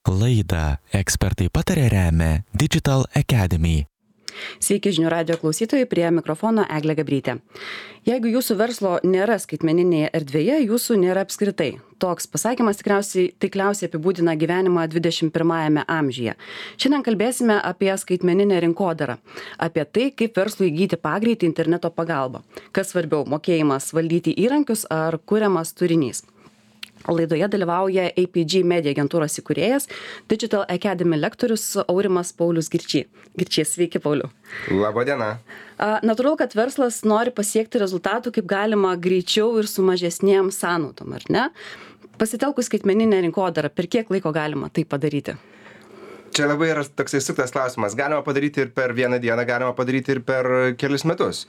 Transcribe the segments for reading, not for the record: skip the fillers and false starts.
Laidą Ekspertai pataria remia Digital Academy. Sveiki žinių radijo klausytojai, prie mikrofono Eglė Gabrytė. Jeigu jūsų verslo nėra skaitmeninėje erdvėje, jūsų nėra apskritai. Toks pasakymas taikliausiai apibūdina gyvenimą 21 amžiuje. Šiandien kalbėsime apie skaitmeninę rinkodarą, apie tai, kaip verslui įgyti pagreitį interneto pagalba. Kas svarbiau, mokėjimas valdyti įrankius ar kuriamas turinys. Laidoje dalyvauja APG Media agentūros įkūrėjas, Digital Academy lektorius Aurimas Paulius Girčys. Sveiki, Pauliau. Labadiena. Natūralu, kad verslas nori pasiekti rezultatų kaip galima greičiau ir su mažesnėm sąnaudom, ar ne? Pasitelkus skaitmeninę rinkodarą, per kiek laiko galima tai padaryti? Čia labai yra toksai suktas klausimas. Galima padaryti ir per vieną dieną, galima padaryti ir per kelis metus.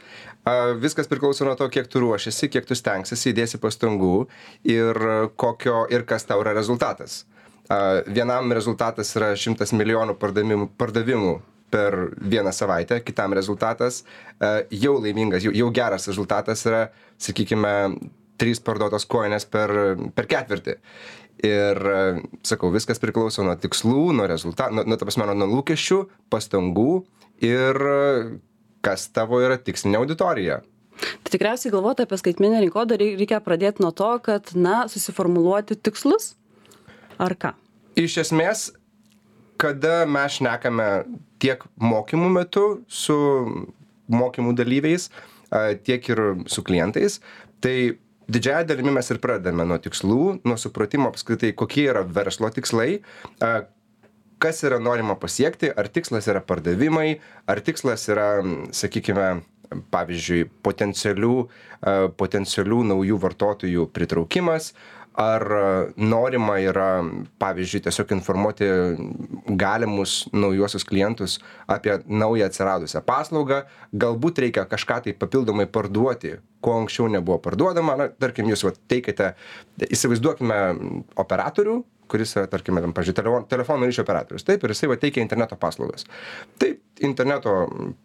Viskas priklauso nuo to, kiek tu ruošiasi, kiek tu stengsiesi, įdėsi pastangų ir kas tau yra rezultatas. Vienam rezultatas yra 100 milijonų pardavimų per vieną savaitę, kitam rezultatas jau laimingas, jau geras rezultatas yra, sakykime, 3 parduotos kojinės per ketvirtį. Ir, sakau, viskas priklauso nuo tikslų, nuo rezultatų, nuo lūkesčių, pastangų ir kas tavo yra tikslinė auditorija. Tai tikriausiai galvoti apie skaitmeninę rinkodarą reikia pradėti nuo to, kad, susiformuluoti tikslus, ar ką? Iš esmės, kada mes šnekame tiek mokymų metu su mokymų dalyviais, tiek ir su klientais, tai didžiąją dalimi mes ir pradedame nuo tikslų, nuo supratimo apskritai, kokie yra verslo tikslai, kas yra norima pasiekti, ar tikslas yra pardavimai, ar tikslas yra, sakykime, pavyzdžiui, potencialių naujų vartotojų pritraukimas, ar norima yra, pavyzdžiui, tiesiog informuoti galimus naujuosius klientus apie naują atsiradusią paslaugą, galbūt reikia kažką tai papildomai parduoti, ko anksčiau nebuvo parduodama, tarkim, jūs teikite, įsivaizduokime operatorių, kuris yra, tarkime, pavyzdžiui, telefonų ryšio operatorius, taip, ir jisai teikia interneto paslaugas. Taip, interneto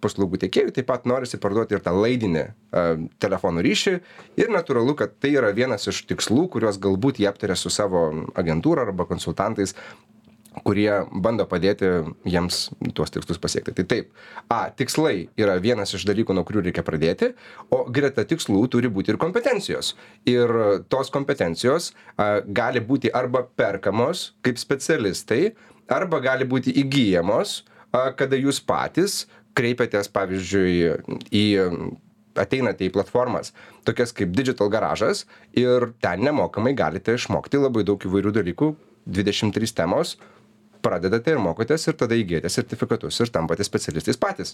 paslaugų tiekėjų taip pat norisi parduoti ir tą laidinį telefonų ryšį ir natūralu, kad tai yra vienas iš tikslų, kuriuos galbūt jie aptarė su savo agentūra arba konsultantais, kurie bando padėti jiems tuos tikslus pasiekti. Tai taip, tikslai yra vienas iš dalykų, nuo kurių reikia pradėti, o greta tikslų turi būti ir kompetencijos. Ir tos kompetencijos gali būti arba perkamos kaip specialistai, arba gali būti įgyjamos, kada jūs patys kreipiatės, pavyzdžiui, ateinate į platformas, tokias kaip Digital Garažas, ir ten nemokamai galite išmokti labai daug įvairių dalykų, 23 temos, pradedate ir mokotės ir tada įgyjate sertifikatus ir tampate specialistais patys.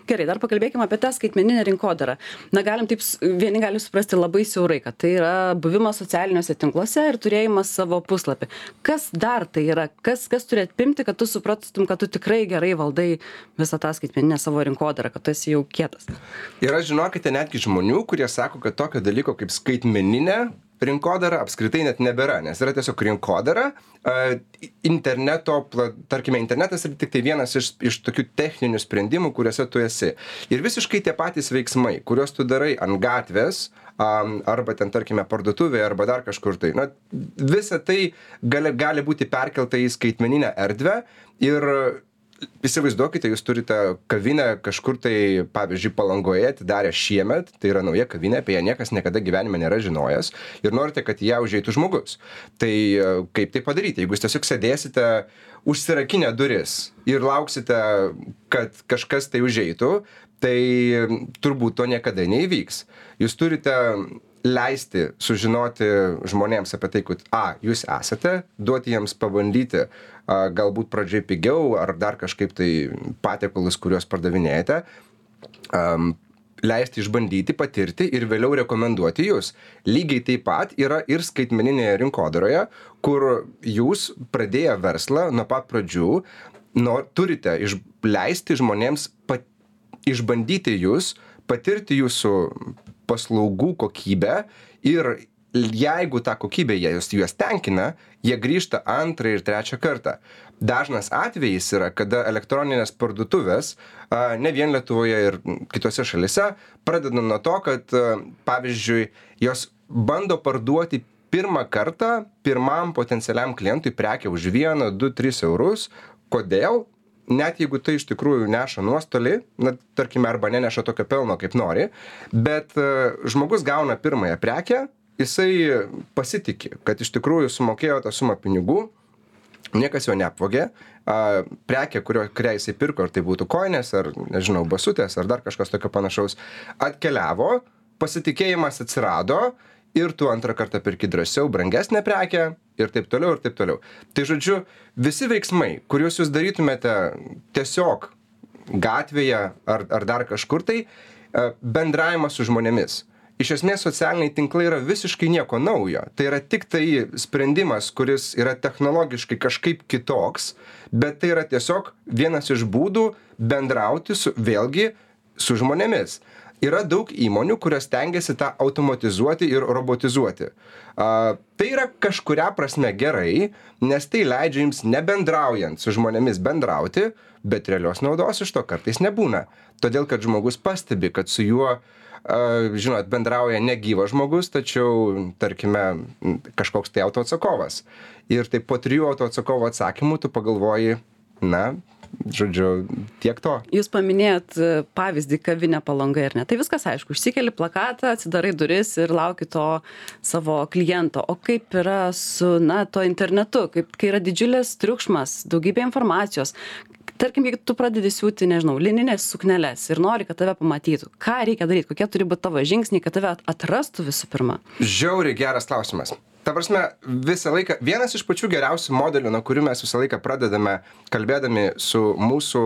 Gerai, dar pakalbėkime apie tą skaitmeninę rinkodarą. Galim taip, vieni gali suprasti labai siaurai, kad tai yra buvimas socialiniuose tinkluose ir turėjimas savo puslapį. Kas dar tai yra? Kas turi atpimti, kad tu suprastum, kad tu tikrai gerai valdai visą tą skaitmeninę savo rinkodarą, kad tu esi jau kietas? Yra, žinokite, netgi žmonių, kurie sako, kad tokio dalyko kaip skaitmeninė rinkodara apskritai net nebėra, nes yra tiesiog rinkodara, tarkime, internetas yra tik tai vienas iš tokių techninių sprendimų, kuriuose tu esi. Ir visiškai tie patys veiksmai, kuriuos tu darai ant gatvės, arba ten, tarkime, parduotuvėje, arba dar kažkur tai. Visa tai gali būti perkelta į skaitmeninę erdvę ir įsivaizduokite, jūs turite kavinę kažkur tai, pavyzdžiui, Palangoje atidarę šiemet, tai yra nauja kavinė, apie ją niekas niekada gyvenime nėra žinojęs ir norite, kad į ją užeitų žmogus. Tai kaip tai padaryti? Jeigu jūs tiesiog sėdėsite užsirakinę duris ir lauksite, kad kažkas tai užeitų, tai turbūt to niekada neįvyks. Jūs turite leisti sužinoti žmonėms apie tai, kad jūs esate, duoti jiems pabandyti, galbūt pradžiai pigiau ar dar kažkaip tai patiekalus, kuriuos pardavinėjate, leisti išbandyti, patirti ir vėliau rekomenduoti jūs. Lygiai taip pat yra ir skaitmeninėje rinkodaroje, kur jūs pradėję verslą nuo pat pradžių turite leisti žmonėms išbandyti jūs, patirti jūsų paslaugų kokybę ir jeigu ta kokybė juos tenkina, jie grįžta antrą ir trečią kartą. Dažnas atvejis yra, kada elektroninės parduotuvės, ne vien Lietuvoje ir kitose šalise, pradeda nuo to, kad, pavyzdžiui, jos bando parduoti pirmą kartą pirmam potencialiam klientui prekę už 1, 2, 3 eurus. Kodėl? Net jeigu tai iš tikrųjų neša nuostolį, na, tarkime, arba neneša tokio pelno, kaip nori, bet žmogus gauna pirmąją prekę, jisai pasitikė, kad iš tikrųjų sumokėjo tą sumą pinigų, niekas jo neapvogė, prekė, kurią jisai pirko, ar tai būtų koinės, ar, nežinau, basutės, ar dar kažkas tokio panašaus, atkeliavo, pasitikėjimas atsirado, ir tu antrą kartą pirki drąsiau brangesnę prekę ir taip toliau, ir taip toliau. Tai žodžiu, visi veiksmai, kuriuos jūs darytumėte tiesiog gatvėje ar dar kažkur tai, bendravimas su žmonėmis. Iš esmės socialiniai tinklai yra visiškai nieko naujo. Tai yra tik tai sprendimas, kuris yra technologiškai kažkaip kitoks, bet tai yra tiesiog vienas iš būdų bendrauti vėlgi su žmonėmis. Yra daug įmonių, kurios stengiasi tą automatizuoti ir robotizuoti. Tai yra kažkuria prasme gerai, nes tai leidžia jums nebendraujant su žmonėmis bendrauti, bet realios naudos iš to kartais nebūna. Todėl, kad žmogus pastebi, kad su juo, žinot, bendrauja negyvas žmogus, tačiau, tarkime, kažkoks tai autoatsakovas. Ir taip po 3 autoatsakovo atsakymų tu pagalvoji, na, žodžiu, tiek to. Jūs paminėjot pavyzdį kavinę Palangoje, ar ne? Tai viskas aišku, išsikeli plakatą, atsidarai duris ir lauki to savo kliento. O kaip yra su, na, to internetu, kai yra didžiulis triukšmas, daugybė informacijos. Tarkim, jeigu tu pradedi siūti, nežinau, lininės sukneles ir nori, kad tave pamatytų, ką reikia daryti, kokie turi būti tavo žingsniai, kad tave atrastų visų pirma? Žiauriai geras klausimas. Ta prasme, visą laiką, vienas iš pačių geriausių modelių, nuo kurių mes visą laiką pradedame, kalbėdami su mūsų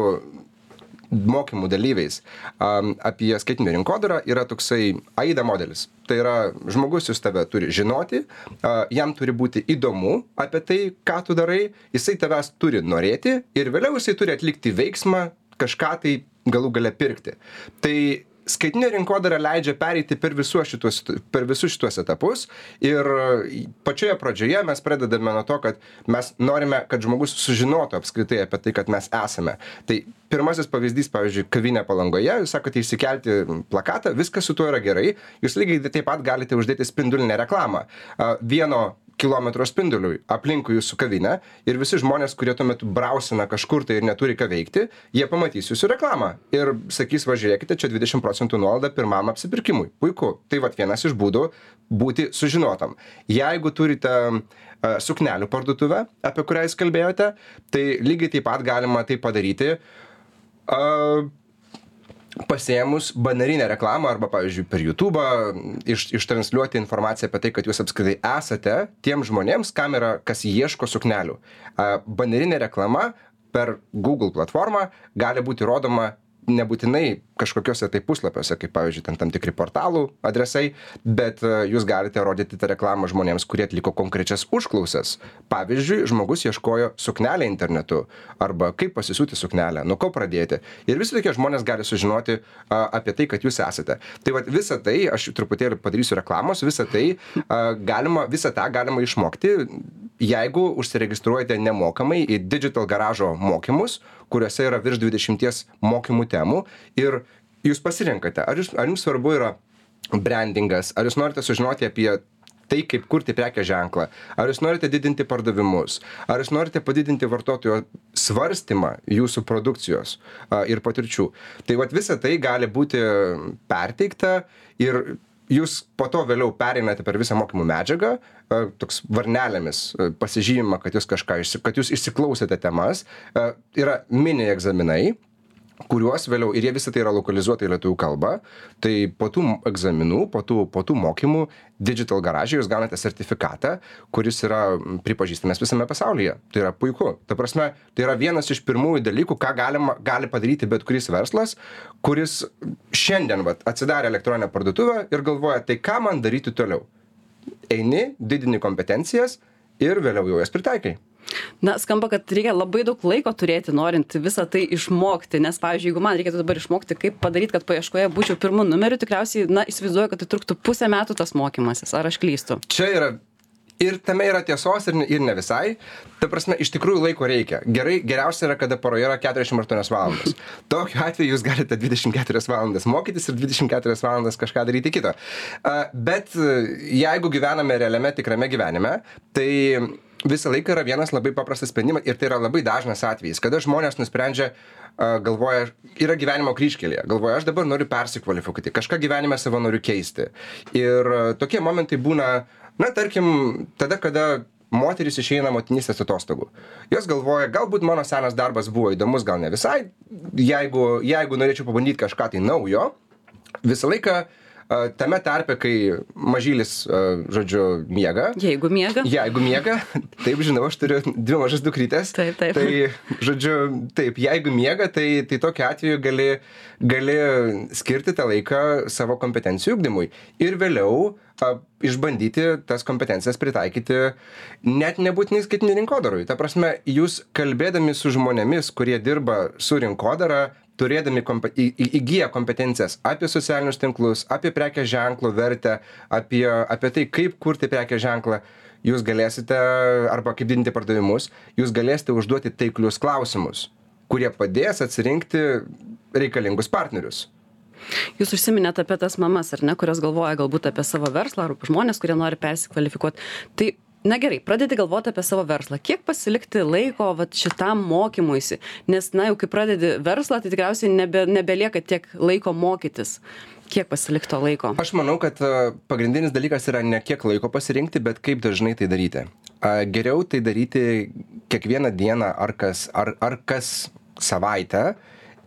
mokymų dalyviais apie skaitinę rinkodarą, yra toksai AIDA modelis. Tai yra, žmogus jūs tave turi žinoti, jam turi būti įdomu apie tai, ką tu darai, jisai tavęs turi norėti ir vėliau jisai turi atlikti veiksmą, kažką tai galų gale pirkti. Tai skaitinė rinkodara leidžia pereiti per visus šituos etapus ir pačioje pradžioje mes pradedame nuo to, kad mes norime, kad žmogus sužinotų apskritai apie tai, kad mes esame. Tai pirmasis pavyzdys, pavyzdžiui, kavinė Palangoje, jūs sakote įsikelti plakatą, viskas su tuo yra gerai, jūs lygiai taip pat galite uždėti spindulinę reklamą. 1 kilometro spinduliui aplinkui jūsų kavinę ir visi žmonės, kurie tuo metu brausina kažkur tai ir neturi ką veikti, jie pamatys jūsų reklamą ir sakys, va žiūrėkite, čia 20% nuolaida pirmam apsipirkimui. Puiku. Tai vat vienas iš būdų būti sužinotam. Jeigu turite suknelių parduotuvę, apie kurią jūs kalbėjote, tai lygiai taip pat galima tai padaryti pasiėmus banerinę reklamą arba, pavyzdžiui, per YouTube'ą ištransliuoti informaciją apie tai, kad jūs apskritai esate tiem žmonėms, kas ieško suknelių. Banerinė reklama per Google platformą gali būti rodoma nebūtinai kažkokiuose tai puslapiuose, kaip pavyzdžiui, tam tikri portalų adresai, bet jūs galite rodyti tą reklamą žmonėms, kurie atliko konkrečias užklausas. Pavyzdžiui, žmogus ieškojo suknelę internetu arba kaip pasisiūti suknelę, nuo ko pradėti. Ir visi tokie žmonės gali sužinoti apie tai, kad jūs esate. Tai vat visą tai, aš truputėlį padarysiu reklamos, visą tą galima išmokti, jeigu užsiregistruojate nemokamai į Digital Garažo mokymus, kuriuose yra virš 20 mokymų temų ir jūs pasirenkate, ar jums svarbu yra brandingas, ar jūs norite sužinoti apie tai, kaip kurti prekės ženklą, ar jūs norite didinti pardavimus, ar jūs norite padidinti vartotojo svarstymą jūsų produkcijos ir patirčių. Tai vat visa tai gali būti perteikta ir jūs po to vėliau pereinate per visą mokymų medžiagą, toks varnelėmis pasižymima, kad jūs išsiklausėte temas, yra mini egzaminai, kuriuos vėliau, ir jie visą tai yra lokalizuota į lietuvių kalbą, tai po tų egzaminų, po tų mokymų Digital Garage jūs gaunate sertifikatą, kuris yra pripažįstamas visame pasaulyje. Tai yra puiku. Ta prasme, tai yra vienas iš pirmųjų dalykų, ką gali padaryti bet kuris verslas, kuris šiandien atsidarė elektroninę parduotuvę ir galvoja, tai ką man daryti toliau. Eini, didini kompetencijas ir vėliau jau jas pritaikai. Na, skamba, kad reikia labai daug laiko turėti, norint visą tai išmokti, nes, pavyzdžiui, jeigu man reikėtų dabar išmokti, kaip padaryti, kad paieškoje būčiau pirmu numeriu, tikriausiai, na, įsivaizduoju, kad tai truktų 1,5 metų tas mokymasis, ar aš klystu? Čia yra Ir tame yra tiesos ir ne visai. Ta prasme, iš tikrųjų laiko reikia. Geriausia yra, kada paroje yra 48 valandas. Tokiu atveju jūs galite 24 valandas mokytis ir 24 valandas kažką daryti kito. Bet jeigu gyvename realiame tikrame gyvenime, tai visą laiką yra vienas labai paprastas sprendimas ir tai yra labai dažnas atvejis, kada žmonės nusprendžia, galvoja, yra gyvenimo kryžkelėje, galvoja, aš dabar noriu persikvalifikuoti, kažką gyvenime savo noriu keisti. Ir tokie momentai būna, tarkim, tada, kada moteris išeina motinystės atostogų. Jos galvoja, galbūt mano senas darbas buvo įdomus, gal ne visai, jeigu norėčiau pabandyti kažką tai naujo, visą laiką tame tarpe, kai mažylis, miega. Jeigu miega. Jeigu miega, taip, žinau, aš turiu 2 mažas dukrytės. Taip. Tai, taip, jeigu miega, tai tokiu atveju gali skirti tą laiką savo kompetencijų ugdymui. Ir vėliau išbandyti tas kompetencijas pritaikyti net nebūtinai skaitmeninių rinkodarui. Ta prasme, jūs kalbėdami su žmonėmis, kurie dirba su rinkodara, turėdami įgyję kompetencijas apie socialinius tinklus, apie prekės ženklo vertę, apie tai, kaip kurti prekės ženklą, jūs galėsite, arba kaip didinti pardavimus, jūs galėsite užduoti taiklius klausimus, kurie padės atsirinkti reikalingus partnerius. Jūs užsiminėte apie tas mamas, ar ne, kurios galvoja galbūt apie savo verslą, ar žmonės, kurie nori persikvalifikuoti. Tai na gerai, pradedi galvoti apie savo verslą. Kiek pasilikti laiko šitam mokymuisi? Nes, jau kai pradedi verslą, tai tikriausiai nebelieka tiek laiko mokytis. Kiek pasilikto laiko? Aš manau, kad pagrindinis dalykas yra ne kiek laiko pasirinkti, bet kaip dažnai tai daryti. Geriau tai daryti kiekvieną dieną ar kas savaitę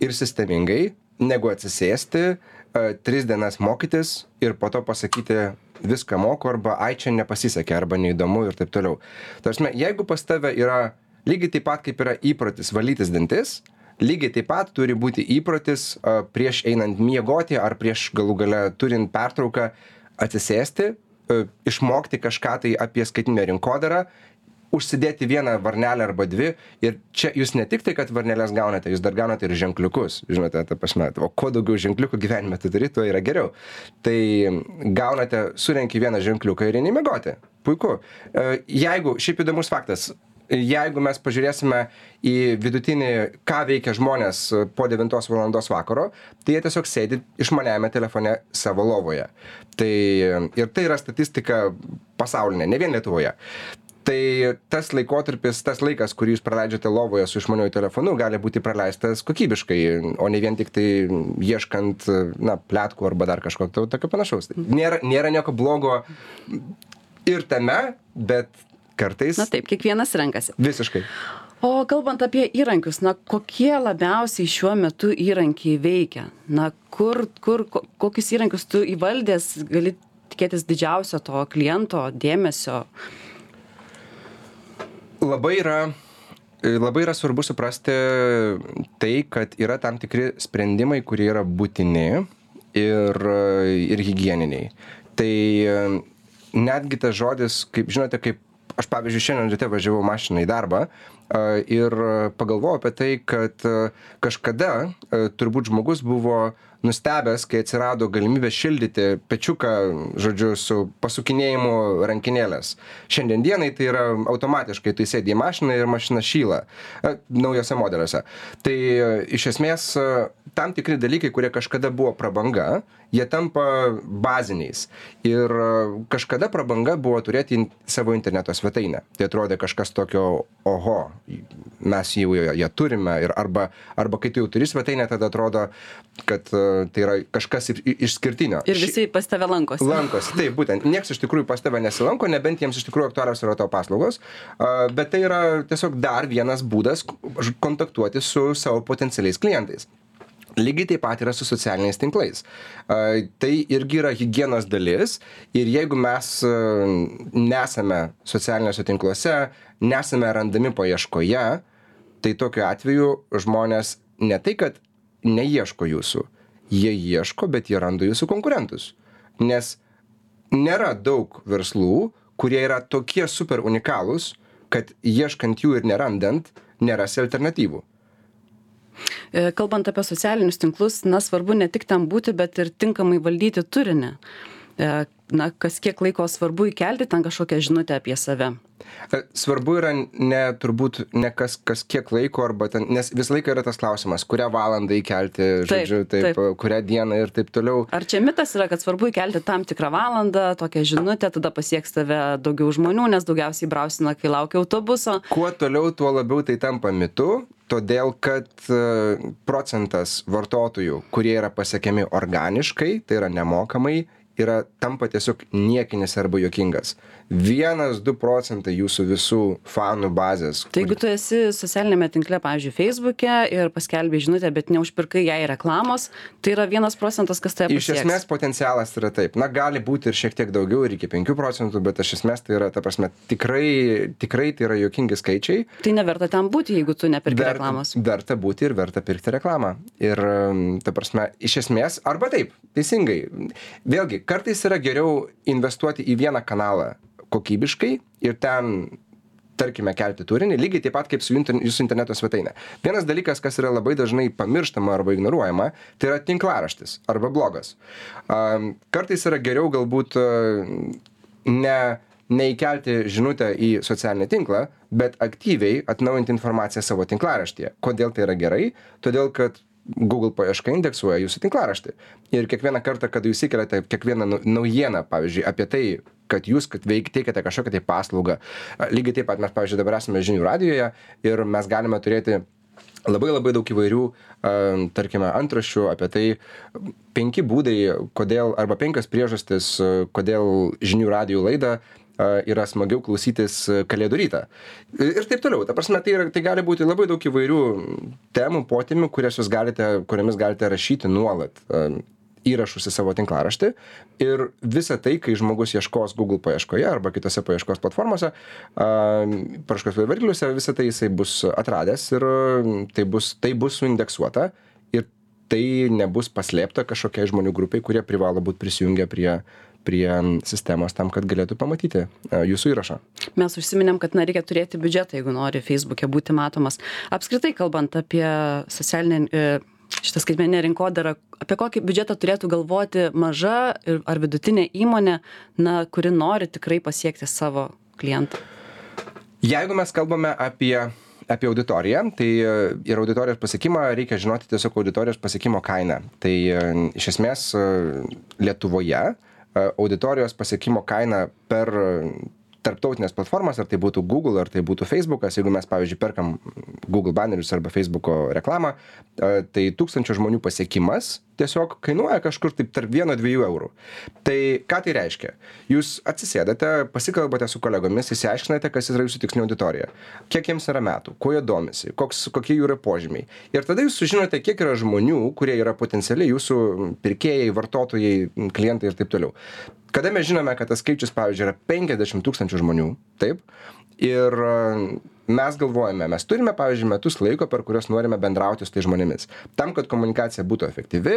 ir sistemingai, negu atsisėsti, 3 dienas mokytis ir po to pasakyti, viską moku, arba ai čia nepasisekė, arba neįdomu ir taip toliau. Tarsi, jeigu pas tave yra lygiai taip pat, kaip yra įprotis valytis dantis, lygiai taip pat turi būti įprotis prieš einant miegoti ar prieš galų gale turint pertrauką atsisėsti, išmokti kažką tai apie skaitinę rinkodarą, užsidėti 1 varnelę arba 2 ir čia jūs ne tik tai, kad varnelės gaunate, jūs dar gaunate ir ženkliukus, žinote, ta prasme, o kuo daugiau ženkliukų gyvenime tu turi, tuo yra geriau. Tai gaunate, surenki 1 ženkliuką ir eini miegoti. Puiku. Jeigu, šiaip įdomus faktas, jeigu mes pažiūrėsime į vidutinį, ką veikia žmonės po 9 valandos vakaro, tai jie tiesiog sėdi išmaniajame telefone savo lovoje. Ir tai yra statistika pasaulinė, ne vien Lietuvoje. Tai tas laikotarpis, tas laikas, kurį jūs praleidžiate lovoje su išmaniuoju telefonu, gali būti praleistas kokybiškai, o ne vien tik tai ieškant, pletkų arba dar kažko tokio panašaus. Nėra nieko blogo ir tame, bet kartais... Taip, kiekvienas renkasi. Visiškai. O kalbant apie įrankius, kokie labiausiai šiuo metu įrankiai veikia? Kokius įrankius tu įvaldęs gali tikėtis didžiausio to kliento dėmesio? Labai yra svarbu suprasti tai, kad yra tam tikri sprendimai, kurie yra būtini ir higieniniai. Tai netgi tas žodis, kaip žinote, kaip aš pavyzdžiui šiandien ryte važiavau mašiną į darbą ir pagalvojau apie tai, kad kažkada turbūt žmogus buvo nustebęs, kai atsirado galimybė šildyti pečiuką, su pasukinėjimu rankinėlės. Šiandien dienai tai yra automatiškai, tu įsėdi į mašiną ir mašina šyla naujose modeliuose. Tai iš esmės tam tikri dalykai, kurie kažkada buvo prabanga, jie tampa baziniais. Ir kažkada prabanga buvo turėti savo interneto svetainę. Tai atrodė kažkas tokio, oho, mes jau ją turime, arba kai tu jau turi svetainę, tada atrodo, kad tai yra kažkas išskirtinio. Ir visi pas tave lankosi. Lankosi, taip, būtent. Niekas iš tikrųjų pas tave nesilanko, nebent jiems iš tikrųjų aktualios yra tavo paslaugos, bet tai yra tiesiog dar vienas būdas kontaktuoti su savo potencialiais klientais. Lygiai taip pat yra su socialiniais tinklais. Tai irgi yra higienos dalis ir jeigu mes nesame socialiniuose tinkluose, nesame randami paieškoje, tai tokiu atveju žmonės ne tai, kad neieško jūsų, jie ieško, bet jie randa jūsų konkurentus. Nes nėra daug verslų, kurie yra tokie super unikalūs, kad ieškant jų ir nerandant, nerasi alternatyvų. Kalbant apie socialinius tinklus, svarbu ne tik tam būti, bet ir tinkamai valdyti turinį. na, kas kiek laiko svarbu įkelti ten kažkokią žinutę apie save? Svarbu yra turbūt ne kas kiek laiko, arba ten, nes visą laiką yra tas klausimas, kurią valandą įkelti, žodžiu, taip, kurią dieną ir taip toliau. Ar čia mitas yra, kad svarbu įkelti tam tikrą valandą, tokią žinutę, tada pasieks tave daugiau žmonių, nes daugiausiai brausina, kai laukia autobuso? Kuo toliau, tuo labiau tai tampa mitu, todėl kad procentas vartotojų, kurie yra pasiekiami organiškai, tai yra nemokamai, tampa tiesiog niekinis arba juokingas. 1-2 procentai jūsų visų fanų bazės. Tai jeigu tu esi socialinėme tinkle, pavyzdžiui, Facebook'e ir paskelbė žinutę, bet neužpirkai jai reklamos, tai yra 1 procentas, kas tave pasieks. Iš esmės potencialas yra taip. Na, gali būti ir šiek tiek daugiau, ir iki 5 procentų, bet iš esmės tai yra, ta prasme, tikrai tai yra juokingi skaičiai. Tai neverta ten būti, jeigu tu nepirki reklamos. Verta būti ir verta pirkti reklamą. Ir, ta prasme, iš esmės, arba taip, teisingai. Vėlgi, kartais yra geriau investuoti į vieną kanalą kokybiškai ir ten, tarkime, kelti turinį, lygiai taip pat kaip su jūsų interneto svetainė. Vienas dalykas, kas yra labai dažnai pamirštama arba ignoruojama, tai yra tinklaraštis arba blogas. Kartais yra geriau galbūt neįkelti žinutę į socialinį tinklą, bet aktyviai atnaujinti informaciją savo tinklaraštyje. Kodėl tai yra gerai? Todėl, kad Google paieška indeksuoja jūsų tinklaraštį. Ir kiekvieną kartą, kada jūs įkeliate kiekvieną naujieną, pavyzdžiui, apie tai, kad jūs teikiate kažkokią tai paslaugą. Lygiai taip pat mes, pavyzdžiui, dabar esame žinių radijoje ir mes galime turėti labai daug įvairių, tarkime, antraščių apie tai 5 būdai, kodėl, arba 5 priežastis, kodėl žinių radijų laidą yra smagiau klausytis Kalėdų rytą. Ir taip toliau. Ta prasme, tai gali būti labai daug įvairių temų, potemių, kuriamis galite rašyti nuolat įrašus į savo tinklaraštį. Ir visa tai, kai žmogus ieškos Google paieškoje arba kitose paieškos platformose, paieškos varikliuose, visa tai jisai bus atradęs ir tai bus suindeksuota ir tai nebus paslėpta kažkokiai žmonių grupiai, kurie privalo būti prisijungę prie sistemos tam, kad galėtų pamatyti jūsų įrašą. Mes užsiminėm, kad reikia turėti biudžetą, jeigu nori Facebook'e būti matomas. Apskritai, kalbant apie šitą skaitmeninę rinkodarą, apie kokį biudžetą turėtų galvoti maža ar vidutinė įmonė, kuri nori tikrai pasiekti savo klientą? Jeigu mes kalbame apie auditoriją, tai ir auditorijos pasiekimą reikia žinoti tiesiog auditorijos pasiekimo kainą. Tai iš esmės Lietuvoje auditorijos pasiekimo kaina per tarptautinės platformas, ar tai būtų Google, ar tai būtų Facebookas, jeigu mes, pavyzdžiui, perkam Google bannerius arba Facebooko reklamą, tai 1000 žmonių pasiekimas tiesiog kainuoja kažkur taip tarp 1-2 eurų. Tai ką tai reiškia? Jūs atsisėdate, pasikalbate su kolegomis, išsiaiškinate, kas yra jūsų tikslinė auditorija, kiek jiems yra metų, kuo jie domisi, kokie jų yra požymiai. Ir tada jūs sužinote, kiek yra žmonių, kurie yra potencialiai jūsų pirkėjai, vartotojai, klientai ir taip toliau. Kada mes žinome, kad tas skaičius, pavyzdžiui, yra 50 000 žmonių, taip, ir mes galvojame, mes turime, pavyzdžiui, metus laiko, per kuriuos norime bendrauti su tai žmonėmis. Tam, kad komunikacija būtų efektyvi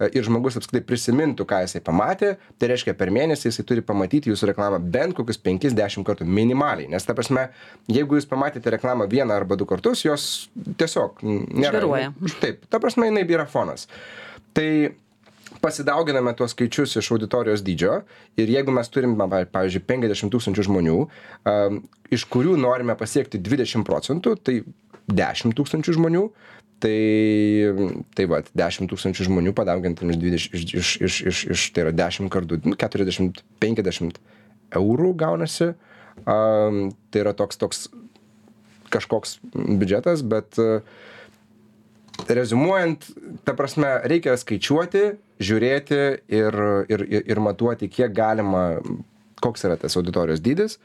ir žmogus apskritai prisimintų, ką jisai pamatė, tai reiškia, per mėnesį jisai turi pamatyti jūsų reklamą bent kokius 5-10 kartų minimaliai. Nes, ta prasme, jeigu jūs pamatėte reklamą 1 arba 2 kartus, jos tiesiog nėra. Taip, ta prasme, jinai yra fonas. Tai pasidauginame tuos skaičius iš auditorijos dydžio ir jeigu mes turim, pavyzdžiui, 50 000 žmonių, iš kurių norime pasiekti 20%, tai 10 000 žmonių, tai va, 10 000 žmonių padaugintam iš tai yra 10 kartų, 40-50 eurų gaunasi. Tai yra toks kažkoks biudžetas, bet reziumuojant, ta prasme, reikia skaičiuoti, žiūrėti ir matuoti, kiek galima, koks yra tas auditorijos dydis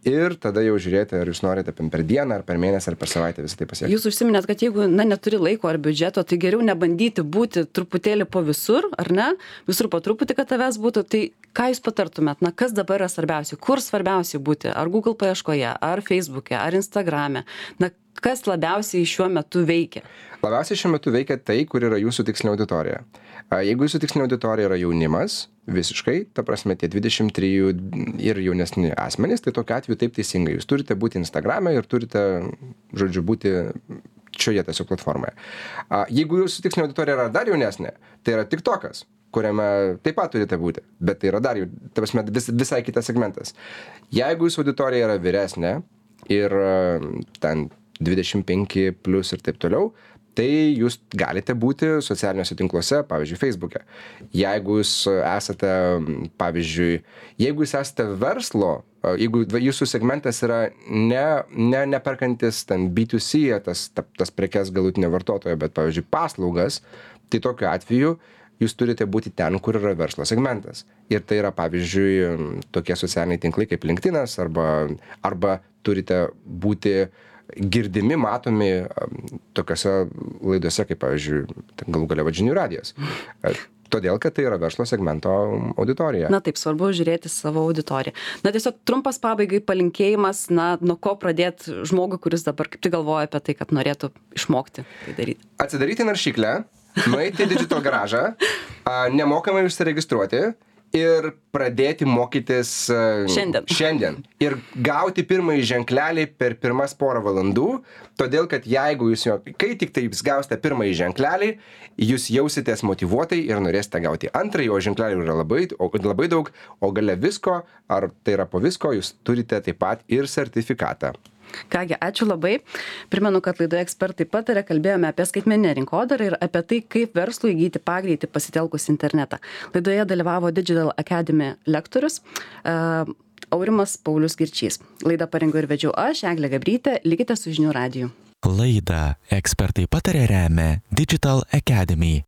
ir tada jau žiūrėti, ar jūs norite per dieną, ar per mėnesį, ar per savaitę visą tai pasiekti. Jūs užsiminėt, kad jeigu neturi laiko ar biudžeto, tai geriau nebandyti būti truputėlį po visur, ar ne? Visur po truputį, kad tavęs būtų. Tai ką jūs patartumėt? Kas dabar yra svarbiausia? Kur svarbiausia būti? Ar Google paieškoje, ar Facebook'e, ar Instagram'e? Kas labiausiai šiuo metu veikia? Labiausiai šiuo metu veikia tai, kur yra jūsų tikslinė auditorija. Jeigu jūsų tikslinė auditorija yra jaunimas, visiškai, ta prasme, tie 23 ir jaunesni asmenys, tai tokiu atveju taip teisingai. Jūs turite būti Instagram'e ir turite, žodžiu, būti šioje tiesiog platformoje. Jeigu jūsų tikslinė auditorija yra dar jaunesnė, tai yra TikTokas, kuriame taip pat turite būti, bet tai yra dar jau, ta prasme, visai kitas segmentas. Jeigu jūsų auditorija yra vyresnė ir ten 25 plus ir taip toliau, tai jūs galite būti socialiniuose tinkluose, pavyzdžiui, Facebook'e. Jeigu jūs esate, pavyzdžiui, jeigu jūs esate verslo, jeigu jūsų segmentas yra neperkantis ten B2C, tas prekes galutinio vartotojo, bet, pavyzdžiui, paslaugas, tai tokiu atveju jūs turite būti ten, kur yra verslo segmentas. Ir tai yra, pavyzdžiui, tokie socialiniai tinklai kaip LinkedInas arba turite būti girdimi, matomi tokiose laidose, kaip, pavyzdžiui, galų galia žinių radijas. Todėl, kad tai yra verslo segmento auditorija. Na taip, svarbu žiūrėti savo auditoriją. Na tiesiog trumpas pabaigai palinkėjimas, nuo ko pradėti žmogui, kuris dabar kaip tik galvoja apie tai, kad norėtų išmokti tai daryti. Atsidaryti naršyklę, nueiti į Digital Garažą, nemokamai užsiregistruoti ir pradėti mokytis šiandien. Ir gauti pirmąjį ženklelį per pirmas porą valandų, todėl kad jeigu kai tik tai jūs gausite pirmąjį ženklelį, jūs jausitės motyvuotai ir norėsite gauti antrąjį, o ženklelių yra labai daug, o gale visko, ar tai yra po visko, jūs turite taip pat ir sertifikatą. Kągi, ačiū labai. Primenu, kad laidoje Ekspertai pataria kalbėjome apie skaitmeninę rinkodarą ir apie tai, kaip verslui įgyti pagreitį pasitelkus internetą. Laidoje dalyvavo Digital Academy lektorius Aurimas Paulius Girčys. Laidą parengiau ir vedžiau aš, Eglė Gabrytė. Likite su žinių radiju. Laidą Ekspertai pataria remia Digital Academy.